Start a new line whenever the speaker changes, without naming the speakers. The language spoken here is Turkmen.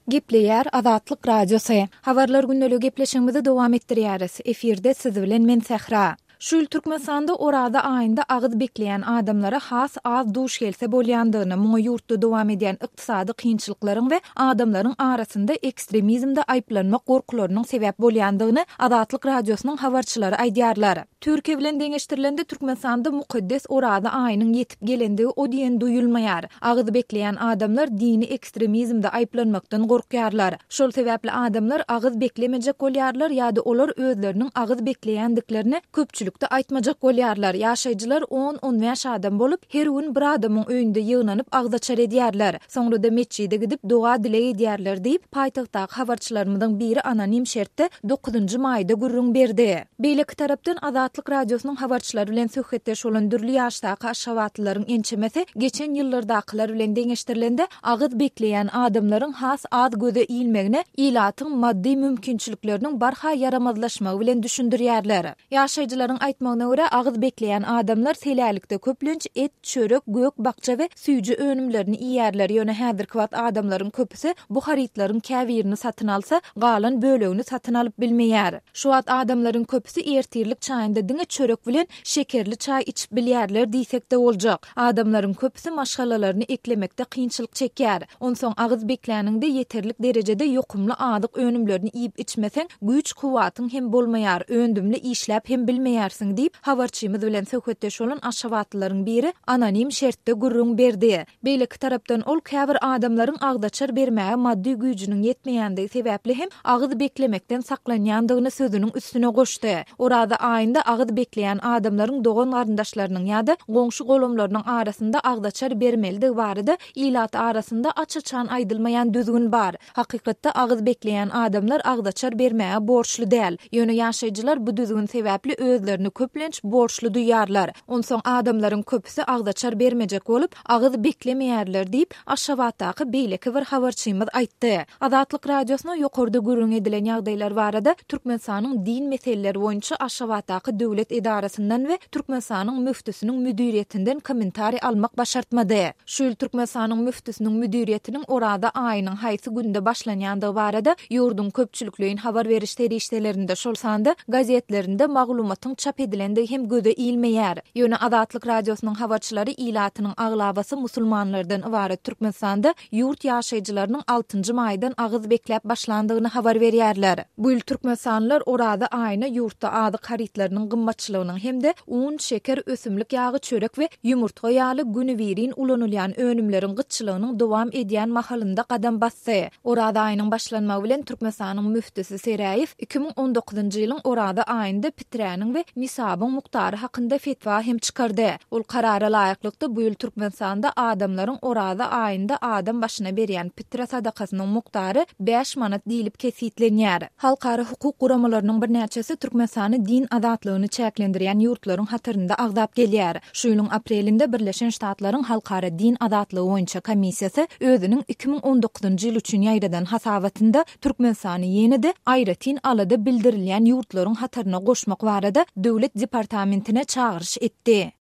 Gepleýär Azatlyk Radiosy. Habarlar gündeligi gepleşigimizi dowam etdirýäris. Efirde siz bilen men Sähra. Şu ýyl Türkmenistanda Oraza aýynda agyz bekleýän adamlara has az duş gelse bolýandygyny, muňa ýurtda dowam edýän ykdysady kynçylyklaryň we adamlaryň arasynda ekstremizmde aýyplanmak gorkularynyň sebäp bolýandygyny Azatlyk Radiosynyň habarçylary aýdýarlar. Türkiýe bilen deňeşdirilende Türkmenistanda mukaddes Oraza aýynyň ýetip gelendigi o diýen duýulmaýar. Agyz bekleýän adamlar dini ekstremizmde aýyplanmakdan gorkýarlar. Şol sebäpli adamlar agyz beklemejek bolýarlar ýa-da olar özleriniň agyz bekleýändiklerini köpçülikde aýtmajak bolýarlar. Ýaşaýjylar on-on bäş adam bolup, her gün bir adamyň öýünde ýygnanyp agzaçar edýärler. Soňra-da metjide gidip doga-dileg edýärler diýip, paýtagtdaky habarçylarymyzyň biri anonim şertde dokuzynjy maýda gürrüň berdi. Beýleki tarapdan, Azatlyk Radiosynyň habarçylary bilen söhbetdeş bolan dürli ýaşdaky aşgabatlylaryň ençemesi geçen ýyllardakylar bilen deňeşdirilende, agyz bekleýän adamlaryň has az göze ilmegine ilatyň maddy mümkinçilikleriniň barha ýaramazlaşmagy bilen düşündirýärler. Ýaşaýjylaryň aýtmagyna görä, agyz bekleýän adamlar selälikde köplenç et, çörek, gök-bakja we süýji önümlerini iýýärler, ýöne häzirki wagt adamlaryň köpüsi bu harytlaryň käbirini satyn alsa, galan bölegini satyn alyp bilmeýär. Şu wagt adamlaryň köpüsi ertirlik çaýynda diňe çörek bilen şekerli çaý içip bilýärler diýsek-de boljak. Adamlaryň köpüsi maşgalalaryny eklemekde kynçylyk çekýär. Onsoň agyz bekläniňde ýeterlik derejede ýokumly azyk önümlerini iýip-içmeseň, güýç-kuwwatyň hem bolmaýar, öndümli işläp hem bilmeýärsiň diýip, habarçymyz bilen söhbetdeş bolan aşgabatlylaryň biri anonim şertde gürrüň berdi. Beýleki tarapdan, ol käbir adamlaryň agzaçar bermäge maddy güýjüniň ýetmeýändigi sebäpli hem agyz beklemekden saklanýandygyny sözüniň üstüne goşdy. Oraza aýynda agyz bekleýän adamlaryň dogan-garyndaşlarynyň ýa-da goňşy-golamlarynyň arasynda agzaçar bermelidigi barada ilat arasynda aç-açan aýdylmaýan düzgün bar. Hakykatda agyz bekleýän adamlar agzaçar bermäge borçly däl. Ýöne ýaşaýjylar bu düzgün sebäpli özlerini köplenç borçly duýýarlar. Onsoň adamlaryň köpüsi agzaçar bermejek bolup, agyz beklemeýärler diýip, Aşgabatdaky beýleki bir habarçymyz aýtdy. Azatlyk Radiosyna ýokarda gürrüň edilen ýagdaýlar barada Türkmenistanyň din meseleleri boýunça Aşgabatdaky döwlet edarasyndan we Türkmenistanyň müftüsiniň müdiriýetinden kommentariý almak başartmady. Şu ýyl Türkmenistanyň müftüsiniň müdiriýetiniň Oraza aýynyň haýsy günde başlanýandygy barada ýurduň köpçülikleýin habar beriş serişdelerinde, şol sanda gazetlerinde maglumatyň çap edilendigi hem göze ilmeýär. Ýöne Azatlyk Radiosynyň habarçylary ilatynyň aglabasy musulmanlardan ybarat Türkmenistanda ýurt ýaşaýjylarynyň altynjy maýdan agyz bekläp başlandygyny habar berýärler. Bu ýyl türkmenistanlylar Oraza aýyna ýurtda azyk harytlarynyň gymmatçylygynyň hem-de un, şeker, ösümlik ýagy, çörek we ýumurtga ýaly günübirin ulanylýan önümleriň gytçylygynyň dowam edýän mahalynda gadam basdy. Oraza aýynyň başlanmagy bilen Türkmenistanyň müftüsi Seräýew 2019-njy ýylyň Oraza aýynda piträniň we nisabyň mukdary hakynda fetwa hem çykardy. Ol karara laýyklykda, bu ýyl Türkmenistanda adamlaryň Oraza aýynda adam başyna berýän pitre sadakasynyň mukdary bäş manat diýlip kesgitlenýär. Halkara hukuk guramalarynyň birnäçesi Türkmenistany din azatlygyny çäklendirýän ýurtlaryň hatarynda agzap gelýär. Şu ýylyň aprelinde Birleşen Ştatlaryň Halkara din azatlygy boýunça komissiýasy özüniň 2019-njy ýyl üçin ýaýradan hasabatynda Türkmenistany ýene-de aýratyn alada bildirilýän ýurtlaryň hataryna goşmak barada Döwlet departamentine çagyryş etdi.